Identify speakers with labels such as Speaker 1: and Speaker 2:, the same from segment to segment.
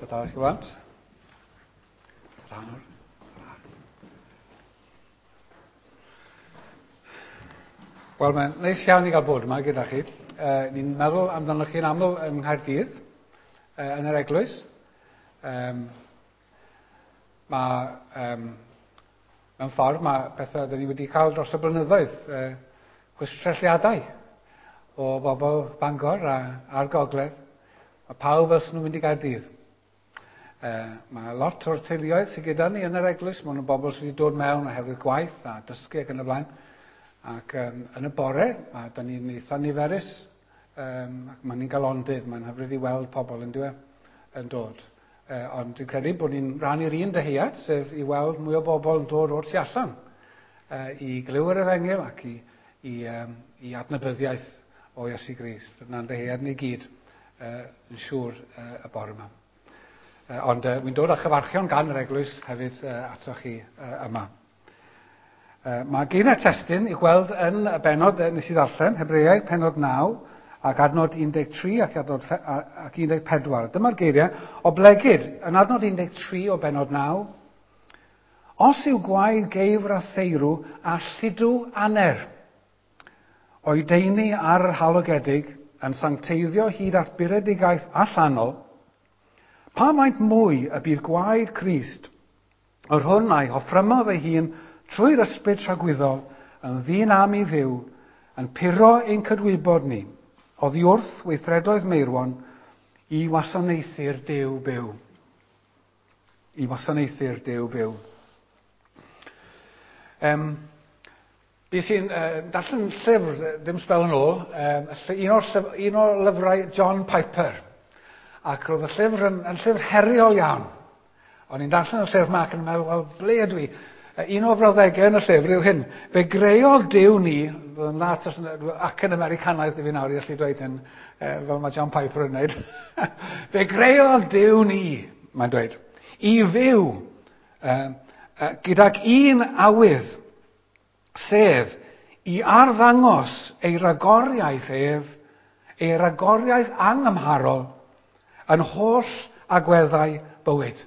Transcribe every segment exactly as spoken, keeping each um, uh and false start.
Speaker 1: Ta-ta chi blant. Ta-ta nawr. Wel, mae'n neis iawn i gael bod yma gyda chi. Uh, ni'n meddwl amdanoch chi'n aml yng Nghaerdydd, uh, yn yr eglwys. Um, mae, um, mewn ffordd, mae pethau dyn ni wedi cael dros y blynyddoedd, uh, chwistrelliadau o bobl Bangor a, a'r Gogledd. Mae pawb fel sy'n nhw'n mynd i Gaerdydd. Uh, mae lot o'r teuluoedd sydd gyda ni yn yr eglwys, maen nhw'n bobl sydd wedi dod mewn oherwydd gwaith a dysgu ac yn y blaen. Ac um, yn y bore, mae da ni'n eitha niferus, um, ac mae'n ni'n galondid, mae'n hyfryd i weld pobl yn dyw e, yn dod. Uh, ond dwi'n credu bod ni'n rhannu'r un dyhead, sef i weld mwy o bobl yn dod o'r tu allan uh, i glyw yr efengyl ac i, i, um, i adnabyddiaeth o Iesu Grist. Dyna'n dyhead ni gyd, uh, yn siŵr uh, y bore yma. Uh, ond uh, wy'n dod â chyfarchion gan yr eglwys hefyd uh, atoch chi uh, yma. Uh, mae geiriau testun i'w gweld yn y bennod uh, nes i ddarllen, Hebreaid pennod naw, ac adnod un deg tri ac adnod ac un deg pedwar. Dyma'r geiriau, oblegid, yn adnod un deg tri o bennod naw, os yw gwaed geifr a theirw a lludw aner, o'i deini ar yr halogedig yn sancteiddio hyd at buredigaeth allanol, pa maint mwy y bydd gwaed Crist, yr hwn a'i hoffrymodd ei hun trwy'r ysbryd tragwyddol, yn ddyn am i Dduw, yn puro ein cydwybod ni, oddi wrth weithredoedd meirwon, i wasanaethu'r Duw byw. I wasanaethu'r Duw byw. Um, Bues i'n uh, darllen llyfr, ddim sbel yn ôl, um, un, o'r llyf, un o'r lyfrau John Piper. Ac roedd y llyfr yn, yn llyfr heriol iawn. O'n i'n darllen y llyfr yma ac yn meddwl, wel, ble ydw i? Un o frawddegau yn y llyfr yw hyn. Fe greodd Duw ni, yn dda ac yn Americanaidd i fi nawr i allu dweud hyn, fel mae John Piper yn wneud. Fe greodd Duw ni, mae'n dweud, i fyw gydag un awydd, sef i arddangos ei ragoriaeth ef, ei ragoriaeth angymharol, yn holl agweddau bywyd.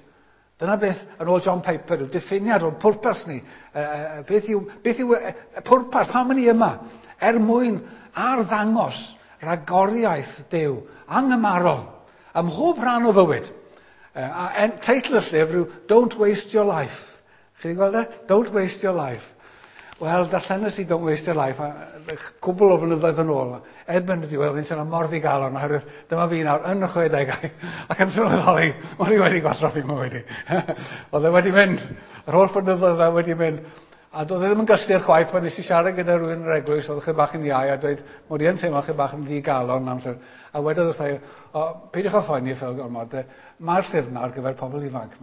Speaker 1: Dyna beth, yn ôl John Piper, yw diffiniad o'n pwrpas ni. Uh, beth yw, beth yw uh, pwrpas, pam ni yma? Er mwyn arddangos ragoriaeth Duw, anghymarol, ym mhob rhan o fywyd. Uh, a en, teitl y llyfr yw Don't Waste Your Life. Chi wedi gweld e? Don't Waste Your Life. Wel, darllenes i Don't Waste Your Life, a cwbl o flynyddoedd yn ôl. Erbyn y diwedd, fi'n sôn am mor ddigalon, oherwydd dyma fi nawr yn y chwedegau, ac yn sylweddoli, o'n i wedi gwastraffu mywyd i. Oedd e wedi mynd, yr holl flynyddoedd e wedi mynd. A doedd e ddim yn gysur chwaith pan nes i siarad gyda rhywun yn yr eglwys, oedd chydig bach yn iau, a dweud, mod i yn teimlo chydig bach yn ddigalon am llyfr. A wedodd wrtha i, o, peidiwch â phoeni fel gormod, mae'r llyfr yna ar gyfer pobl ifanc.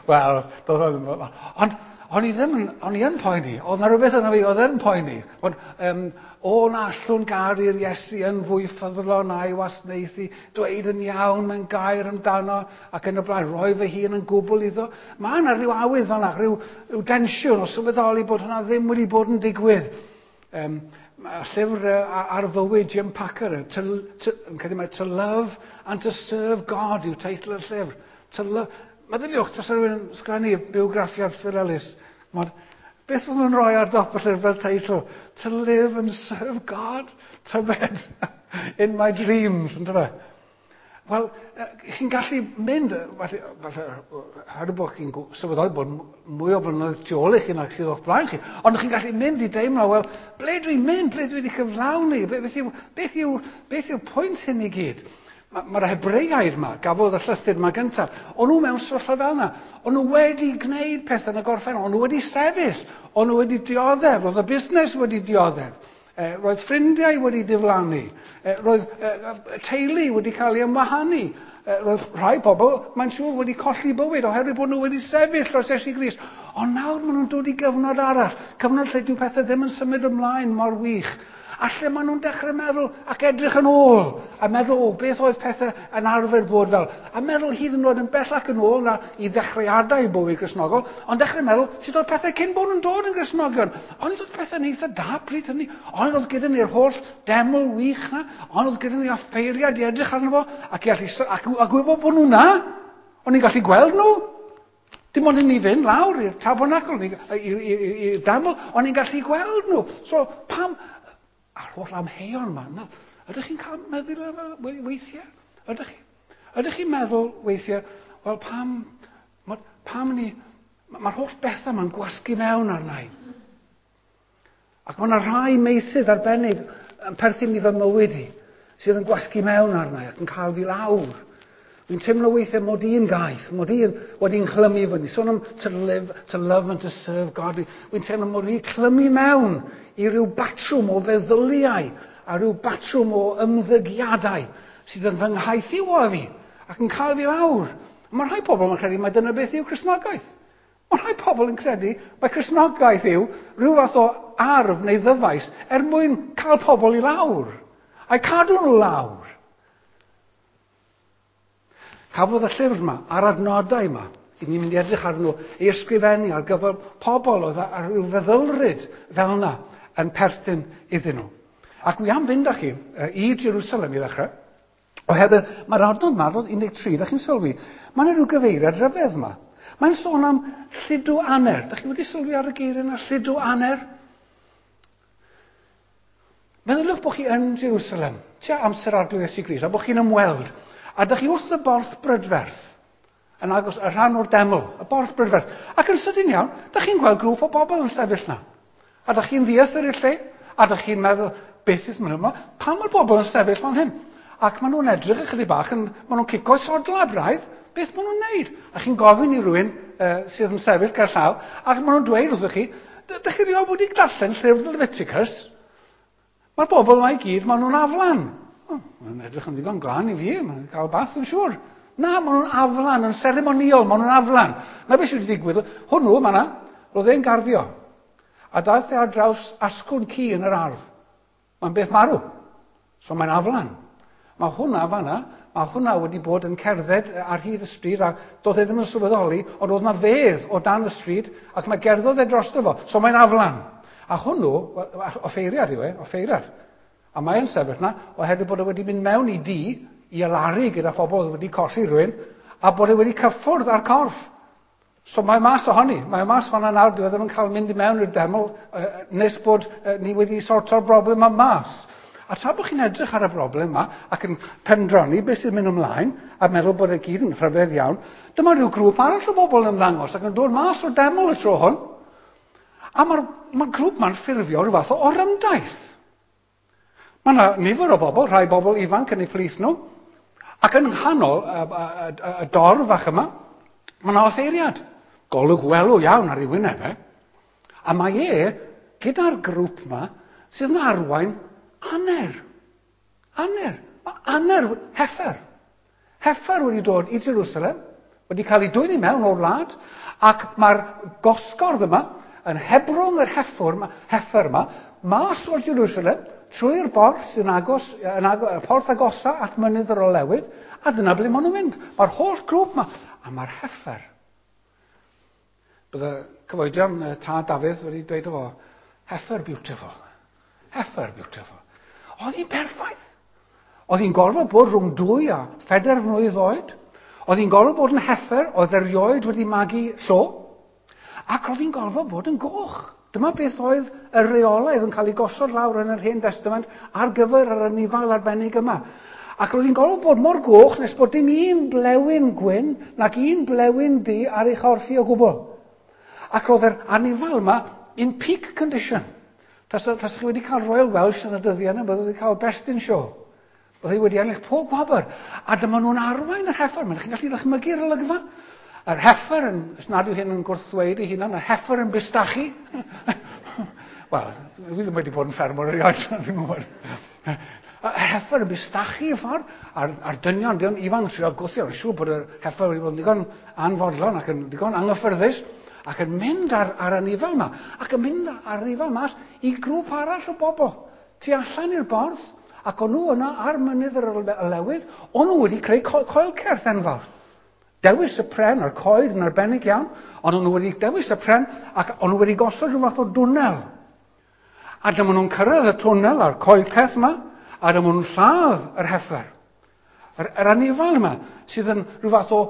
Speaker 1: Wel, doedd o ddim. Ond, o'n i ddim yn, o'n i yn poeni, oedd na rhywbeth yna fi, oedd yn poeni. Ond, um, o na allwn garu'r Iesu yn fwy ffyddlon a'i wasanaethu, dweud yn iawn, mae'n gair amdano, ac yn y blaen, rhoi fy hun yn gwbl iddo. Mae yna rhyw awydd fel yna, rhyw, rhyw densiwn o sylweddoli bod hwnna ddim wedi bod yn digwydd. Um, llyfr uh, ar fywyd Jim Packer, to, to, yn credu mai To Love and to Serve God yw teitl y llyfr. To love, meddyliwch, tas rhywun yn sgwennu bywgraffiad Phil Ellis, mod, beth fydden nhw'n rhoi ar dop y llyfr fel teitl? To live and serve God, tybed, in my dreams, yn dyfe? Wel, chi'n gallu mynd, falle, falle, oherwydd bod chi'n sylweddoli bod mwy o flynyddoedd tu ôl i chi nag sydd o'ch blaen chi, ond chi'n gallu mynd i deimlo, wel, ble dwi'n mynd, ble dwi wedi cyflawni, beth yw, beth yw, beth yw pwynt hyn i gyd? Mae'r Hebreaid yma, gafodd y llythyr yma gyntaf, o'n nhw mewn sefyllfa fel yna. O'n nhw wedi gwneud pethau yn y gorffennol, o'n nhw wedi sefyll, o'n nhw wedi dioddef, roedd y busnes wedi dioddef, e, roedd ffrindiau wedi diflannu, e, roedd e, teulu wedi cael ei ymwahanu, e, roedd rhai pobl, mae'n siŵr, wedi colli bywyd oherwydd bod nhw wedi sefyll dros Iesu Grist. Ond nawr maen nhw'n dod i gyfnod arall, cyfnod lle dyw pethau ddim yn symud ymlaen mor wych. A lle maen nhw'n dechrau meddwl ac edrych yn ôl, a meddwl, o, beth oedd pethau yn arfer bod fel. A meddwl hyd yn oed yn bellach yn ôl na i ddechreuadau bywyd Gristnogol, ond dechrau meddwl sut oedd pethau cyn bod nhw'n dod yn Gristnogion. Ond oedd pethau'n eitha da pryd hynny. Ond oedd gyda ni'r holl deml wych na, ond oedd gyda ni offeiriad i edrych arno fo, ac, i allu, ac, a gwybod bod nhw na. O'n i'n gallu gweld nhw. Dim ond i ni fynd lawr i'r tabernacl, i'r deml, o'n i'n gallu gweld nhw. So, pam... A'r holl amheuon yma. Na, ydych chi'n cael meddwl weithiau? Ydych chi? Ydych chi'n meddwl weithiau, wel pam, pam ni, mae'r holl bethau yma'n gwasgu mewn arna i. Ac mae yna rhai meysydd arbennig yn perthyn i fy mywyd i, sydd yn gwasgu mewn arna i ac yn cael fi lawr. Dwi'n teimlo weithiau mod i'n gaeth, mod i'n wedi'n clymu fyny. Sôn am to live, to love and to serve God. Dwi'n teimlo mod i'n clymu mewn i ryw batrwm o feddyliau a ryw batrwm o ymddygiadau sydd yn fy nghaethiwo fi ac yn cael fi lawr. Mae rhai pobl yn credu mai dyna beth yw Cristnogaeth. Mae rhai pobl yn credu mai Cristnogaeth yw rhyw fath o arf neu ddyfais er mwyn cael pobl i lawr. A'i cadw nhw lawr. Cafodd y llyfr yma, a'r adnodau yma, i ni'n mynd i edrych arnyn nhw, ei ysgrifennu ar gyfer pobl oedd ar ryw feddylryd fel yna yn perthyn iddyn nhw. Ac wi am fynd â chi i Jerusalem i ddechrau, oherwydd mae'r adnod yma, adnod un deg tri, da chi'n sylwi, mae yna rhyw gyfeiriad rhyfedd yma. Mae'n sôn am lludw aner. Da chi wedi sylwi ar y geiriau yna, lludw aner? Meddyliwch bod chi yn Jerusalem, tua amser Arglwydd Iesu Grist, a bod chi'n ymweld. A dych chi wrth y borth brydferth, yn agos y rhan o'r deml, y borth brydferth. Ac yn sydyn iawn, dych chi'n gweld grŵp o bobl yn sefyll na. A dych chi'n ddieithr i'r lle, a dych chi'n meddwl, beth sy'n mynd yma? Pam mae'r bobl yn sefyll fan hyn? Ac maen nhw'n edrych ychydig bach, yn, maen nhw'n cico sodla braidd, beth maen nhw'n neud? A chi'n gofyn i rywun uh, sydd yn sefyll ger llaw, ac maen nhw'n dweud wrthych chi, dych chi rioed wedi darllen llyfr Leviticus? Mae'r bobl yma i gyd, maen nhw'n aflan. Oh, mae'n edrych yn ddigon glân i fi, mae'n cael bath yn siŵr. Na, maen nhw'n aflan, yn seremoniol, maen nhw'n aflan. Na beth sydd wedi digwydd, hwnnw, ma na, roedd e'n garddio. A daeth e ar draws asgwrn ci yn yr ardd. Mae'n beth marw. So mae'n aflan. Mae hwnna fanna, mae hwnna wedi bod yn cerdded ar hyd y stryd a doedd e ddim yn sylweddoli, ond oedd na fedd o dan y stryd ac mae gerddodd e drosto fo. So mae'n aflan. A hwnnw, offeiriad yw e, offeiriad. A mae'n sefyll na, oherwydd bod e wedi mynd mewn i dŷ, i alaru gyda phobl oedd wedi colli rhywun, a bod e wedi cyffwrdd â'r corff. So mae mas ohoni, mae mas fanna nawr, dyw e ddim yn cael mynd i mewn i'r deml uh, nes bod uh, ni wedi sorto'r broblem yma mas. A tra bod chi'n edrych ar y broblem yma ac yn pendroni beth sy'n mynd ymlaen a meddwl bod e gyd yn rhyfedd iawn, dyma rhyw grŵp arall o bobl yn ymddangos ac yn dod mas o'r deml y tro hwn. A mae'r ma grŵp ma'n ffurfio rhyw fath o orymdaith. Mae yna nifer o bobl, rhai bobl ifanc yn eu plith nhw, ac yn nghanol y, y, y, y dorf fach yma, mae yna offeiriad. Golwg welw iawn ar ei wyneb e. A mae e, gyda'r grŵp yma, sydd yn arwain aner. Aner. Mae aner, heffer. Heffer wedi dod i Jerusalem, wedi cael ei dwyn i mewn o'r wlad, ac mae'r gosgordd yma, yn hebrwng yr heffer, heffer yma, mas o'r Jerusalem, trwy'r borth sy'n agos, yn agos, y porth agosa at mynydd yr Olewydd, a dyna ble maen nhw'n mynd. Mae'r holl grŵp yma, a mae'r heffer. Bydde cyfoedion tad Dafydd wedi dweud o fo, heffer beautiful, heffer beautiful. Oedd hi'n perffaith. Oedd hi'n gorfod bod rhwng dwy a phedair mlwydd oed. Oedd hi'n gorfod bod yn heffer, oedd erioed wedi magu llo. Ac oedd hi'n gorfod bod yn goch. Dyma beth oedd y reolaidd yn cael ei gosod lawr yn yr Hen Testament ar gyfer yr anifail arbennig yma. Ac roedd hi'n gorfod bod mor goch nes bod dim un blewyn gwyn nac un blewyn du ar ei chorff hi o gwbl. Ac roedd yr anifail yma in peak condition. Tasa, tasa chi wedi cael Royal Welsh yn y dyddiau yna, byddai wedi cael Best in Show. Byddai wedi ennill pob gwobr. A dyma nhw'n arwain yr heffer. Mae'n chi'n gallu ddychmygu'r olygfa. Yr heffer, yn, os nad yw hyn yn gwrthddweud ei hunan, yr heffer yn bustachu. Wel, dwi ddim wedi bod yn ffermwr erioed, ddim yn gwybod. Yr heffer yn bustachu y ffordd, a'r, a'r dynion, dynion ifanc yn trio gwthio, yn siŵr bod yr heffer wedi bod yn ddigon anfodlon ac yn ddigon anghyffyrddus, ac yn mynd ar, ar anifail yma, ac yn mynd ar anifail mas i grŵp arall o bobl. tu allan i'r borth, ac o'n nhw yna ar mynydd yr Olewydd, o'n nhw wedi creu co coelcerth enfawr. Dewis y pren a'r coed yn arbennig iawn, ond o'n nhw wedi dewis y pren ac o'n nhw wedi gosod rhyw fath o dwnnel. A dyma nhw'n cyrraedd y twnnel a'r coelcerth yma, a dyma nhw'n lladd yr heffer. Yr, yr anifal yma sydd yn rhyw fath o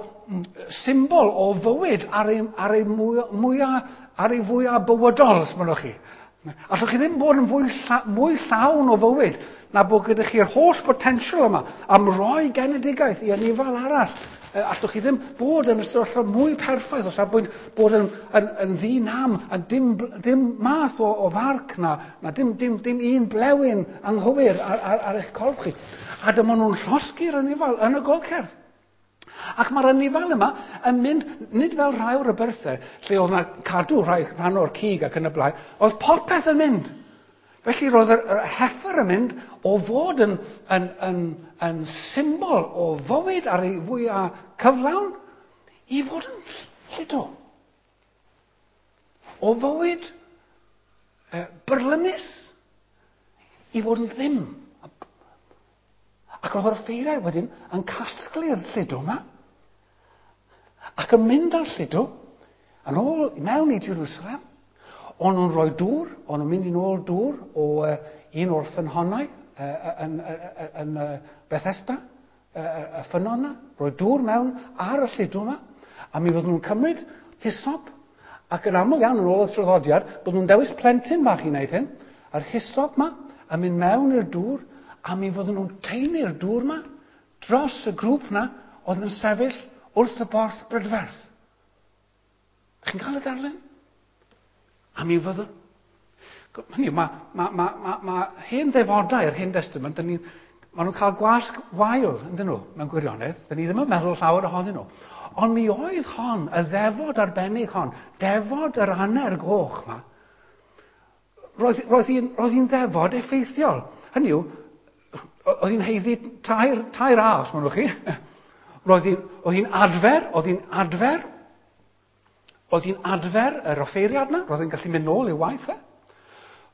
Speaker 1: symbol o fywyd ar ei, ar ei, mwyaf, ar ei fwyaf bywydol, os mynnwch chi. Allwch chi ddim bod yn fwy, lla, mwy llawn o fywyd na bod gyda chi'r holl potensial yma am roi genedigaeth i anifal arall. Allwch chi ddim bod yn y sefyllfa mwy perffaith o safbwynt bod yn, yn, yn ddi-nam a dim, dim math o, o farc na, na dim, dim, dim un blewyn anghywir ar, ar, ar eich corff chi. A dyma nhw'n llosgi'r anifal yn y golcerth. Ac mae'r anifal yma yn mynd, nid fel rhai o'r aberthau, lle oedd yna cadw rhai rhan o'r cig ac yn y blaen, oedd popeth yn mynd. Felly roedd yr, yr heffer yn mynd o fod yn, yn, yn, yn symbol o fywyd ar ei fwyaf cyflawn i fod yn lludw. O fywyd eh, byrlymus i fod yn ddim. Ac roedd yr offeiriaid wedyn yn casglu'r lludw yma ac yn mynd â'r lludw yn ôl mewn i Jerusalem. O'n nhw'n rhoi dŵr, o'n nhw'n mynd i nôl dŵr o uh, un o'r ffynhonnau uh, yn, yn, yn uh, Bethesda, uh, y ffynnon yna, rhoi dŵr mewn ar y lludw yma, a mi fydden nhw'n cymryd hisop, ac yn aml iawn yn ôl y traddodiad, bod nhw'n dewis plentyn bach i wneud hyn, a'r hisop yma, a mynd mewn i'r dŵr, a mi fydden nhw'n taenu'r dŵr yma dros y grŵp yna oedd yn sefyll wrth y borth brydferth. Chi'n cael y darlun? A mi fyddwn... Hynny yw, mae, ma, ma, ma, ma hen ddefodau yr Hen Testament, ni, maen nhw'n cael gwasg wael, yndyn nhw, mewn gwirionedd. Dyn ni ddim yn meddwl llawer ohonyn nhw. Ond mi oedd hon, y ddefod arbennig hon, defod yr hanner goch yma, roedd, roedd hi'n roedd hi'n ddefod effeithiol. Hynny yw, oedd hi'n haeddu tair, tair A, os mynnwch chi. Roedd hi'n oedd hi'n adfer, oedd hi'n adfer, oedd hi'n adfer yr offeiriad yna, roedd hi'n gallu mynd nôl i'w waith e.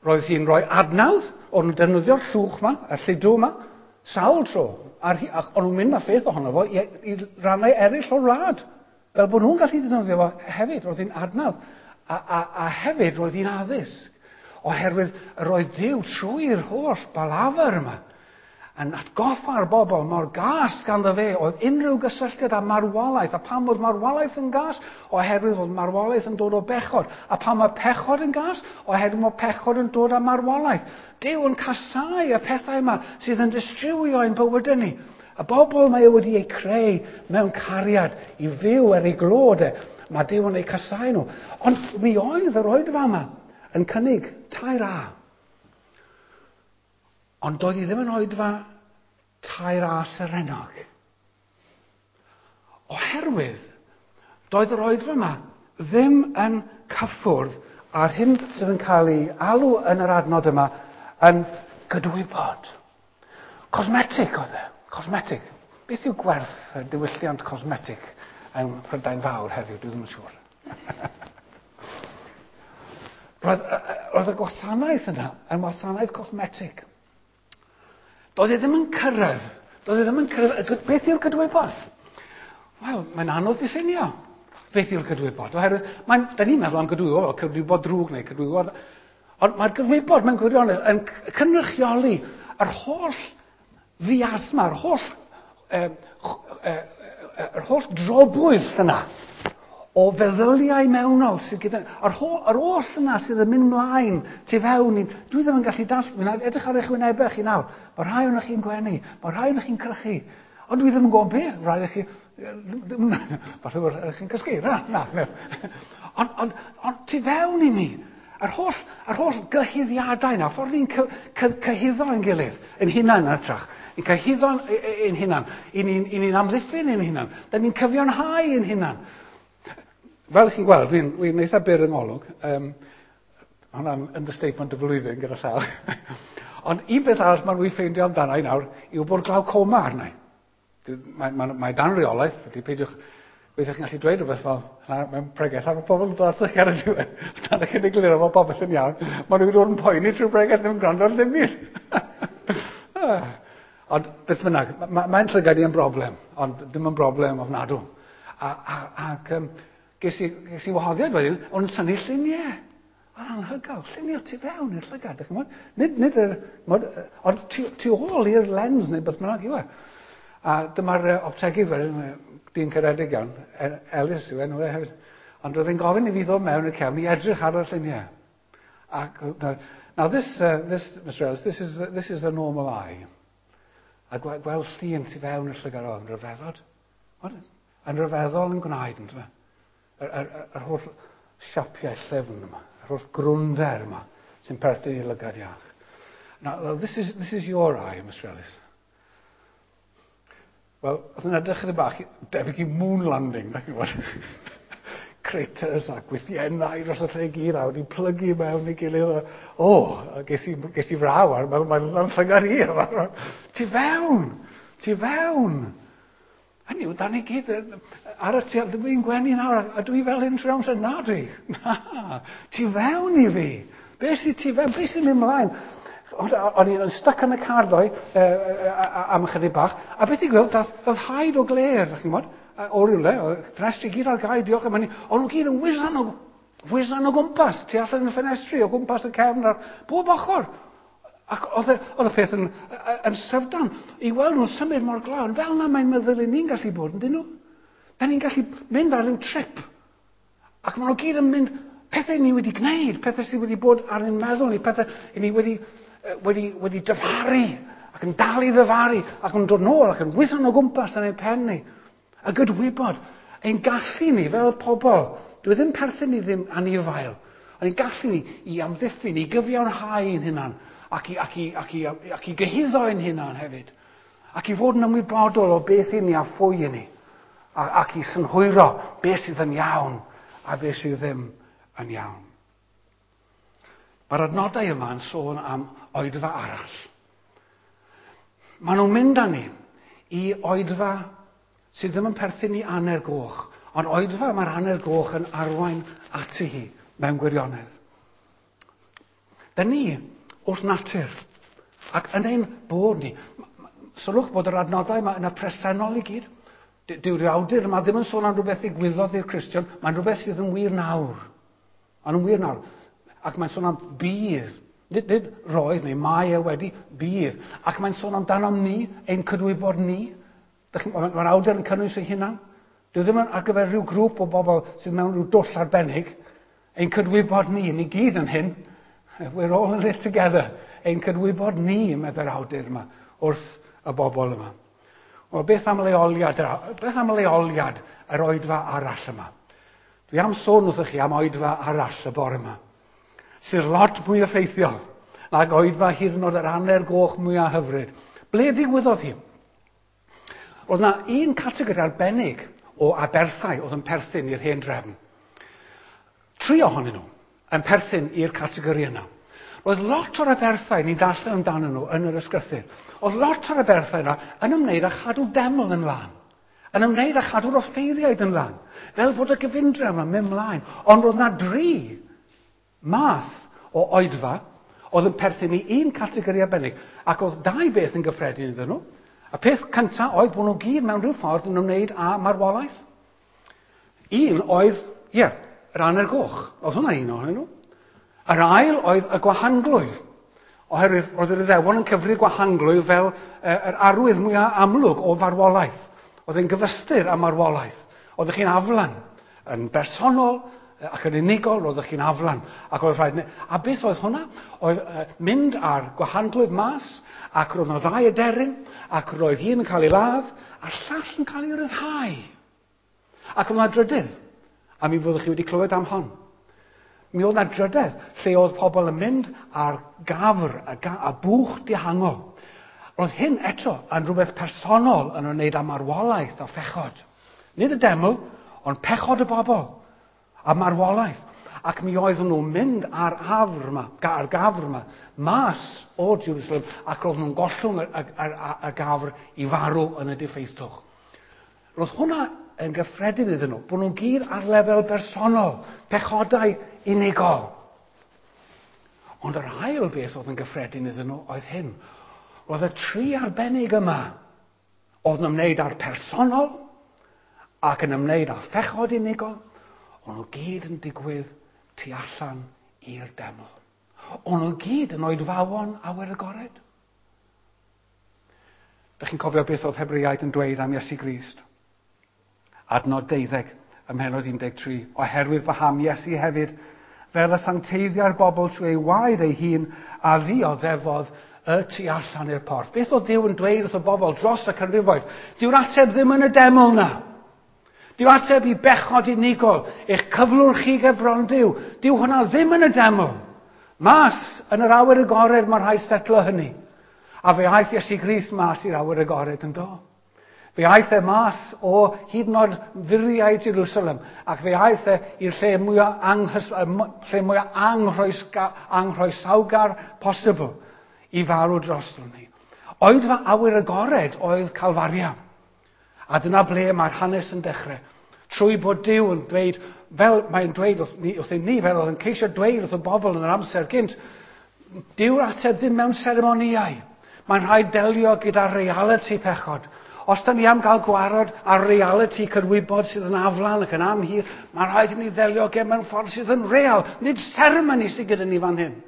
Speaker 1: Roedd hi'n rhoi adnawdd, o'n nhw'n defnyddio'r llwch yma, y lludw yma, sawl tro, ar, ac o'n nhw'n mynd â pheth ohono fo i, i rannau eraill o'r wlad, fel bod nhw'n gallu defnyddio fo hefyd, roedd hi'n adnawdd. A, a, a hefyd roedd hi'n addysg, oherwydd roedd Duw trwy'r holl balafr yma, yn atgoffa'r bobl mor gas ganddo fe oedd unrhyw gysylltiad â marwolaeth. A pam oedd marwolaeth yn gas? Oherwydd oedd marwolaeth yn dod o bechod. A pam mae pechod yn gas? Oherwydd mae pechod yn dod â marwolaeth. Duw yn casáu y pethau yma sydd yn distrywio ein bywydau ni. Y bobl mae e wedi eu creu mewn cariad i fyw er ei glod e. Mae Duw yn eu casáu nhw. Ond mi oedd yr oedfa yma yn cynnig tair A. Ond doedd hi ddim yn oedfa tair A serennog. Oherwydd, doedd yr oedfa yma ddim yn cyffwrdd â'r hyn sydd yn cael ei alw yn yr adnod yma yn gydwybod. Cosmetic oedd e, cosmetic. Beth yw gwerth y diwylliant cosmetic yn Prydain Fawr heddiw? Dwi ddim yn siŵr. Roedd, roedd y gwasanaeth yna yn wasanaeth cosmetic. Doedd e ddim yn cyrraedd. Doedd e ddim yn cyrraedd. Beth yw'r cydwybod? Wel, mae'n anodd diffinio beth yw'r cydwybod. Oherwydd, mae'n, da ni'n meddwl am gydwybod, fel cydwybod drwg neu cydwybod. Ond mae'r cydwybod mewn gwirionedd yn cynrychioli yr holl fiasma, yr holl, eh, eh, yr holl drobwyll yna o feddyliau mewnol sydd gyda... Yr holl, yr oll yna sydd yn mynd mlaen tu fewn i... Dwi ddim yn gallu dall... Dwi'n edrych ar eich wynebau chi nawr. Mae rhai ohonoch chi'n gwenu, mae rhai ohonoch chi'n crychu. Ond dwi ddim yn gwybod beth. Rhai ohonoch chi... Falle bod rhai chi'n cysgu. Na, na. na. Ond on, on, tu fewn i ni, yr holl, yr holl gyhuddiadau yna, ffordd ni'n cy, cy, cyhuddo ein gilydd, ein hunain yn hytrach. Ni'n cyhuddo ein hunan, i ni'n ni amddiffyn ein hunan, da ni'n cyfiawnhau ein hunan. Fel chi'n gweld, dwi'n dwi eitha byr yng ngolwg. Um, hwnna'n understatement y flwyddyn gyda llaw. Ond un beth arall mae'n wir ffeindio amdano i nawr yw bod glaucoma arna i. Mae, mae, mae dan reolaeth, felly peidiwch Weithiau chi'n gallu dweud rhywbeth fel mewn pregeth, a mae pobl yn dod atoch chi ar y diwedd. Os nad ydych chi'n egluro fod popeth yn iawn, maen nhw'n dod yn poeni trwy'r bregeth ddim yn gwrando ar ddim byd. Ond beth bynnag, mae'n ma llygad i yn broblem, ond ddim yn broblem ofnadw. A, a, ac um, ges i, ges i wahoddiad wedyn, o'n tynnu lluniau. O'n anhygoel, lluniau tu fewn i'r llygad. Nid, nid yr, mod, ond tu, tu ôl i'r lens neu beth bynnag yw e. A dyma'r optegydd wedyn, dyn caredig iawn, Ellis yw enw e hefyd. Ond roedd e'n gofyn i fi ddod mewn i'r cefn i edrych ar y lluniau. Ac, now this, uh, this, Mister Ellis, this is, uh, this is a normal eye. A gweld llun tu fewn i'r llygad oedd yn rhyfeddod. Yn rhyfeddol yn gwneud, yn dweud. Yr, yr, yr holl siapiau llyfn yma, yr holl grwnder yma sy'n perthyn i lygad iach. Now, this is, this is your eye, Mister Ellis. Wel, oedd yn edrych chydig bach debyg i moon landing, da chi'n gwybod. Craters a gwythiennau dros y lle gyd a wedi plygu mewn i gilydd. O, oh, ges i, ges i fraw ar, mae'n ma, ma llygad i. Tu fewn, tu fewn. Hynny yw, da ni gyd ar y tu, dwi'n gwenu nawr, a dwi fel hyn trwy amser, na dwi. Na, tu fewn i fi. Be sydd tu fewn, be sy'n mynd mlaen? O'n i'n stuck yn y car ddoe am ychydig bach, a beth i gweld, dath, dath haid o gler, chi'n gwybod, o rywle, ffenestri gyd ar gau, diolch am hynny, ond nhw gyd yn whizzan o, whizzan o gwmpas, tu allan yn y ffenestri, o gwmpas y cefn, ar bob ochr. Ac oedd y peth yn, yn syfdan, i weld nhw'n symud mor glawn, fel na mae'n meddwl i ni'n gallu bod, yn dyn nhw? Da ni'n gallu mynd ar ryw trip, ac maen nhw gyd yn mynd, pethau ni wedi gwneud, pethau sydd wedi bod ar ein meddwl ni, pethau ni wedi wedi, wedi dyfaru, ac yn dal i ddyfaru, ac yn dod nôl, ac yn whizzan o gwmpas yn ein pen ni. A gydwybod, ein gallu ni fel pobl, dwi ddim perthyn ni ddim anifail, ond ein gallu ni i amddiffyn, i gyfiawnhau ein hunan, ac i, ac i, ac i, ac i gyhuddo ein hunan hefyd, ac i fod yn ymwybodol o beth i ni a phwy i ni, a, ac i synhwyro beth sydd yn iawn a beth sydd ddim yn iawn. Mae'r adnodau yma yn sôn am oedfa arall. Maen nhw'n mynd â ni i oedfa sydd ddim yn perthyn i Aner Goch, ond oedfa mae'r Aner Goch yn arwain ati hi mewn gwirionedd. Da ni wrth natur, ac yn ein bod ni, sylwch bod yr adnodau yma yn y presennol i gyd. Dyw'r awdur yma ddim yn sôn am rhywbeth ddigwyddodd i'r Cristion, mae'n rhywbeth sydd yn wir nawr. Mae'n wir nawr. Ac mae'n sôn am bydd. Nid, nid roedd neu mae e wedi, bydd. Ac mae'n sôn amdano ni, ein cydwybod ni. Mae'r awdur yn cynnwys ei hunan. Dyw ddim yn ar gyfer rhyw grŵp o bobl sydd mewn rhyw dwll arbennig. Ein cydwybod ni, ni gyd yn hyn. We're all in it together. Ein cydwybod ni, meddai'r awdur yma, wrth y bobl yma. Wel, beth am leoliad, beth am leoliad yr oedfa arall yma? Dwi am sôn wrthych chi am oedfa arall y bore yma, sydd lot mwy effeithiol nag oedfa hyd yn oed yr Aner Goch mwyaf hyfryd. Ble ddigwyddodd hi? Roedd yna un categori arbennig o aberthau oedd yn perthyn i'r hen drefn. Tri ohonyn nhw yn perthyn i'r categori yna. Roedd lot o'r aberthau ni'n darllen amdanyn nhw yn yr ysgrythur. Oedd lot o'r aberthau yna yn ymwneud â chadw deml yn lân, yn ymwneud â chadw'r offeiriaid yn lân, fel bod y gyfundrefn yn mynd mlaen. Ond roedd yna dri math o oedfa oedd yn perthyn i un categori arbennig, ac oedd dau beth yn gyffredin iddyn nhw. Y peth cyntaf oedd bod nhw gyd mewn rhyw ffordd yn ymwneud â marwolaeth. Un oedd, ie, yeah, yr Aner Goch. Oedd hwnna un ohonyn nhw. Yr ail oedd y gwahanglwyf, oherwydd roedd yr Iddewon yn cyfri gwahanglwyf fel yr arwydd mwyaf amlwg o farwolaeth. Oedd e'n gyfystyr â marwolaeth. Oeddech chi'n aflan, yn bersonol ac yn unigol, roeddech chi'n aflan. Ac oedd rhaid... A beth oedd hwnna? Oedd mynd â'r gwahanglwyf mas, ac roedd yna ddau aderyn, ac roedd un yn cael ei ladd, a'r llall yn cael ei ryddhau. Ac roedd yna drydydd, a mi fyddwch chi wedi clywed am hon. Mi oedd yna drydedd lle oedd pobl yn mynd ar gafr a, ga, a bwch dihangol. Roedd hyn eto yn rhywbeth personol yn ymwneud â marwolaeth a phechod. Nid y deml, ond pechod y bobl a marwolaeth. Ac mi oedden nhw'n mynd ar afr yma, ar gafr yma, mas o Jerusalem, ac roedd nhw'n gollwng y, y, y, y gafr i farw yn y diffeithwch. Roedd hwnna yn gyffredin iddyn nhw, bod nhw'n gyd ar lefel bersonol, pechodau unigol. Ond yr ail beth oedd yn gyffredin iddyn nhw oedd hyn. Roedd y tri arbennig yma oedd yn ymwneud â'r personol ac yn ymwneud â phechod unigol, o'n nhw gyd yn digwydd tu allan i'r deml. O'n nhw gyd yn oedfawon awyr agored. Dych chi'n cofio beth oedd Hebreaid yn dweud am Iesu Grist? Adnod deuddeg ym mhennod un deg tri. Oherwydd paham Iesu hefyd, fel y sancteiddiau'r bobl trwy ei waed ei hun, a ddioddefodd y tu allan i'r porth. Beth oedd Duw yn dweud wrth y bobl dros y canrifoedd? Dyw'r ateb ddim yn y deml na. Dyw ateb i bechod unigol, eich cyflwr chi ger bron Duw. Dyw hwnna ddim yn y deml. Mas yn yr awyr agored mae rhaid setlo hynny. A fe aeth Iesu Grist mas i'r awyr agored yn do. Fe aeth e mas o hyd yn oed furiau Jerusalem, ac fe aeth e i'r lle mwyaf anghys, lle mwyaf anghroesga, anghroesawgar posibl i farw drosto ni. Oedfa awyr agored oedd Calfaria. A dyna ble mae'r hanes yn dechrau. Trwy bod Duw yn dweud, fel mae'n dweud wrthyn ni, fel oedd yn ceisio dweud wrth y bobl yn yr amser gynt, Dyw'r ateb ddim mewn seremonïau. Mae'n rhaid delio gyda realiti pechod. Os da ni am gael gwarod ar realiti cydwybod sydd yn aflan ac yn amhir, mae'n rhaid i ni ddelio gen mewn ffordd sydd yn real. Nid seremoni sydd gyda ni fan hyn.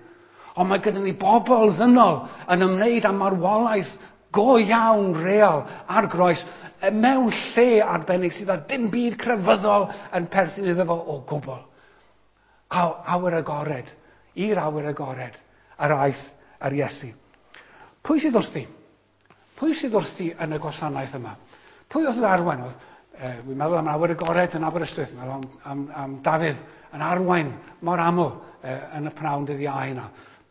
Speaker 1: Ond mae gyda ni bobl ddynol yn ymwneud â marwolaeth go iawn real ar groes mewn lle arbennig sydd â dim byd crefyddol yn perthyn iddo fo o gwbl. Awyr agored, i'r awyr agored, yr aeth yr Iesu. Pwy sydd wrthi? Pwy sydd wrthi yn y gwasanaeth yma? Pwy oedd yn arwain? Oedd, eh, wi'n meddwl am awyr agored yn Aberystwyth, meddwl am, am, am Dafydd yn arwain mor aml eh, yn y pnawn dydd Iau yna.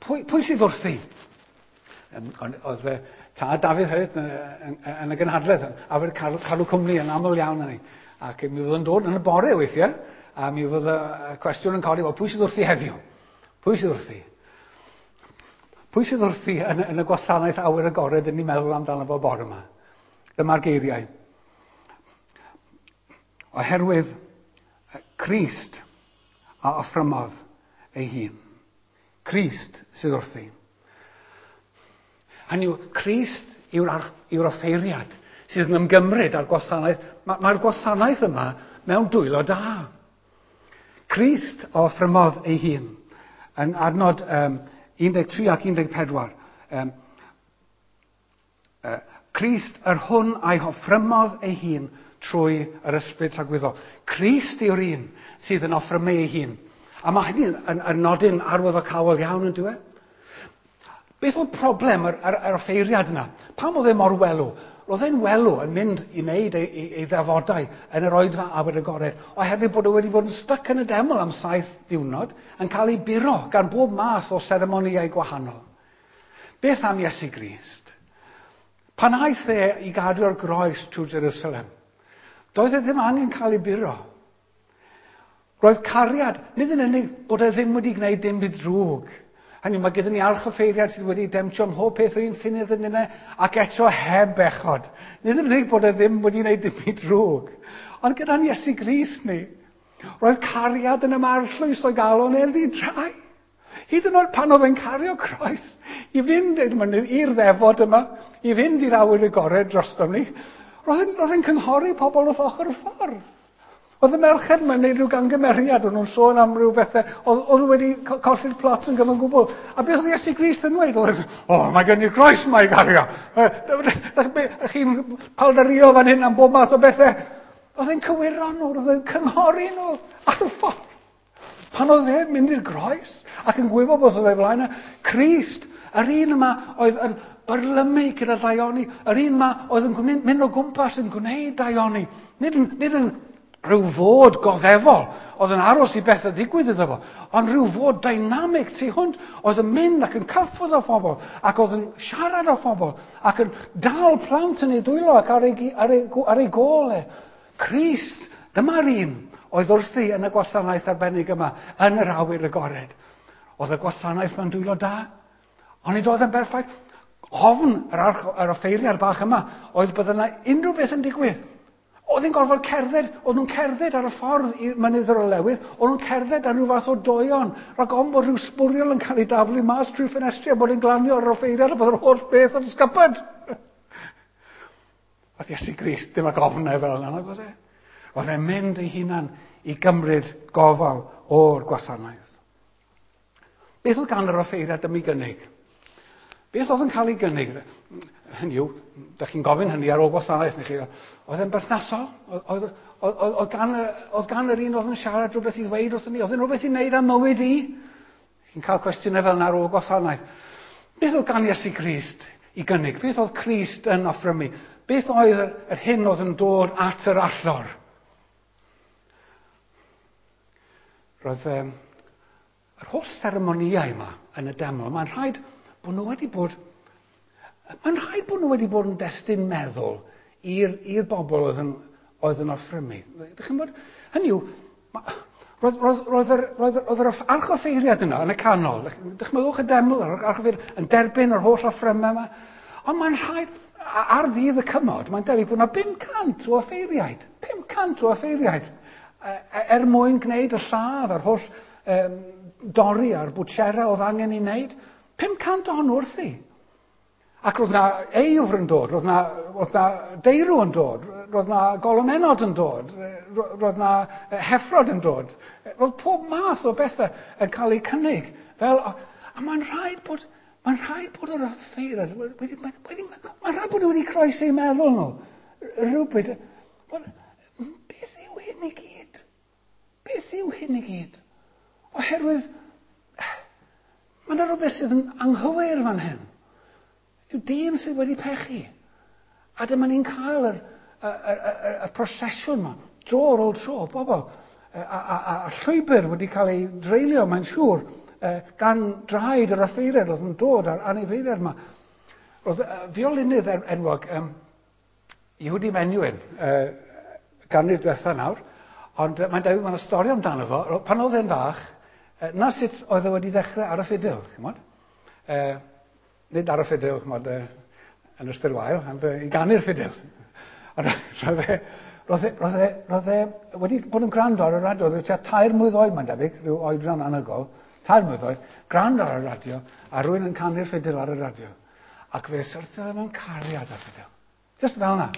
Speaker 1: Pwy, pwy sydd wrthi? Oedd eh, tad Dafydd hefyd yn, yn, yn y gynhadledd, awyr cadw, cadw cwmni yn aml iawn yn ni. Ac mi fydd yn dod yn y bore weithiau, a mi fydd y cwestiwn yn codi, wel, pwy sydd wrthi heddiw? Pwy sydd wrthi? Pwy sydd wrthi yn, yn y gwasanaeth awyr agored yn ni'n meddwl amdano fo bore yma? Dyma'r geiriau. Oherwydd Crist a offrymodd ei hun. Crist sydd wrthi. Hynny yw, Crist yw'r, yw'r offeiriad sydd yn ymgymryd â'r gwasanaeth. Mae'r ma gwasanaeth yma mewn dwylo da. Crist a offrymodd ei hun. Yn adnod um, un deg tri ac un deg pedwar. Um, uh, Crist yr hwn a'i offrymodd ei hun trwy yr ysbryd tragwyddol. Crist yw'r un sydd yn offrymu ei hun. A mae hynny'n yn, yn nodyn arwyddocaol iawn yn dyw e? Beth oedd problem yr, yr, yr offeiriad yna? Pam oedd e mor welw? Roedd e'n welw yn mynd i wneud ei, ei, ei ddefodau yn yr oedfa awyr agored, oherwydd bod e wedi bod yn styc yn y deml am saith diwrnod, yn cael ei buro gan bob math o seremonïau gwahanol. Beth am Iesu Grist? Pan aeth e i gadw'r groes trwy Jerusalem, doedd e ddim angen cael ei buro. Roedd cariad, nid yn unig bod e ddim wedi gwneud dim byd drwg. Hynny, mae gyda ni archoffeiriad sydd wedi demtio ym mhob peth o'n ffunydd yn yna, ac eto heb bechod. Nid yn unig bod e ddim wedi gwneud dim byd drwg, ond gyda'n Iesu Grist ni, roedd cariad yn ymarllwys o'i galon e'n ddi-drai. Hyd yn oed pan oedd e'n cario croes, i fynd i'r ddefod yma, i fynd i'r awyr agored drostom ni, roedd e'n cynghori pobl wrth ochr y ffordd. Oedd y merched yma'n gwneud rhyw gangymeriad, o'n nhw'n sôn am ryw bethau, oedd, oedd nhw wedi colli'r plot yn gyfan gwbl. A beth oedd Iesu Grist yn dweud? Oedd, o, mae gen i'r groes yma i gario. Chi'n paldario fan hyn am bob math o bethau. Oedd e'n cywiro nhw, oedd e'n cynghori nhw ar y ffordd. Pan oedd e'n mynd i'r groes ac yn gwybod beth oedd ei flaen, Crist, yr un yma oedd yn byrlymu gyda daioni, yr un yma oedd yn mynd o gwmpas yn gwneud daioni, nid yn, nid yn rhyw fod goddefol oedd yn aros i bethau ddigwydd iddo fo, ond rhyw fod dynamig tu hwnt oedd yn mynd ac yn cyffwrdd â phobl, ac oedd yn siarad â phobl, ac yn dal plant yn ei dwylo ac ar ei, ar ei, ar ei gôl e. Crist, dyma'r un oedd wrthi yn y gwasanaeth arbennig yma, yn yr awyr agored. Oedd y gwasanaeth mewn dwylo da, ond nid oedd yn berffaith. Ofn yr, arch, yr offeiriad bach yma oedd bydd yna unrhyw beth yn digwydd. Oedd hi'n gorfod cerdded, oedd nhw'n cerdded ar y ffordd i'r Mynydd yr Olewydd, oedd nhw'n cerdded ar rhyw fath o doion, rhag ofn bod rhyw sbwriel yn cael ei daflu mas trwy ffenestri a bod yn glanio ar yr offeiriad a bod yr holl beth yn sgybyd. Oedd Iesu Grist ddim ag ofnau fel yna, nag oedd e? Oedd e'n mynd ei hunan i gymryd gofal o'r gwasanaeth. Beth oedd gan yr offeiriad am ei gynnig? Beth oedd yn cael ei gynnig? Hynny yw, da chi'n gofyn hynny ar ôl gwasanaeth, neu chi, oedd e'n berthnasol? Oedd, oedd, oedd, oedd, gan, oedd gan yr un oedd yn siarad rhywbeth i ddweud wrthyn ni? Oedd e'n rhywbeth i wneud am mywyd i? Chi'n cael cwestiynau fel yna ar ôl gwasanaeth. Beth oedd gan Iesu Grist i gynnig? Beth oedd Crist yn offrymu? Beth oedd yr, yr hyn oedd yn dod at yr allor? Roedd um, yr holl seremonïau yma yn y deml, mae'n rhaid bod nhw wedi bod, mae'n rhaid bod nhw wedi bod yn destun meddwl i'r, i'r bobl oedd yn, oedd yn offrymu. Dych chi'n bod? Hynny yw, roedd, roedd, roedd, yr, roedd, roedd yr archoffeiriad yna yn y canol, dychmygwch y deml, yr archoffeiriad, yn derbyn yr holl offrymau yma. Ond mae'n rhaid, ar ddydd y cymod, mae'n debyg bod yna pum cant o offeiriaid, pum cant o offeiriaid, er mwyn gwneud y lladd a'r holl um, dorri a'r bwtsera oedd angen ei wneud. pum cant ohonyn nhw wrthi. Ac roedd na eifr yn dod, roedd na, roedd na deirw yn dod, roedd na golomenod yn dod, roedd na heffrod yn dod. Roedd pob math o bethau yn cael eu cynnig. Fel, a mae'n rhaid bod, mae'n rhaid bod yr offeiriad wedi, wedi, mae'n rhaid bod wedi croesi eu meddwl nhw. Rhywbryd, beth yw hyn i gyd? Beth yw hyn i gyd? Oherwydd, mae yna rhywbeth sydd yn anghywir fan hyn. Yw dyn sydd wedi pechu. A dyma ni'n cael yr, y, y, y, y prosesiwn yma, dro ar ôl tro, bobl, a, a, a, a llwybr wedi cael ei dreulio, mae'n siŵr, gan draed yr offeiriad oedd yn dod a'r anifeiliaid yma. Roedd fiolinydd enwog, um, Yehudi Menuhin, uh, ganrif diwetha nawr, ond mae'n debyg mae'n stori amdano fo. Pan oedd e'n fach, na sut oedd e wedi dechrau ar y ffidil, chymod? Uh, nid ar y ffidil, chymod, uh, yn ystyr wael, ond uh, i ganu'r ffidil. Ond roedd e, roedd e, roedd e, roedd e wedi bod yn gwrando ar y radio, roedd e tua tair mlwydd oed, mae'n debyg, rhyw oedran anhygoel, tair mlwydd oed, gwrando ar y radio, a rhywun yn canu'r ffidil ar y radio. Ac fe syrthiodd e mewn cariad ar ffidil. Just fel yna.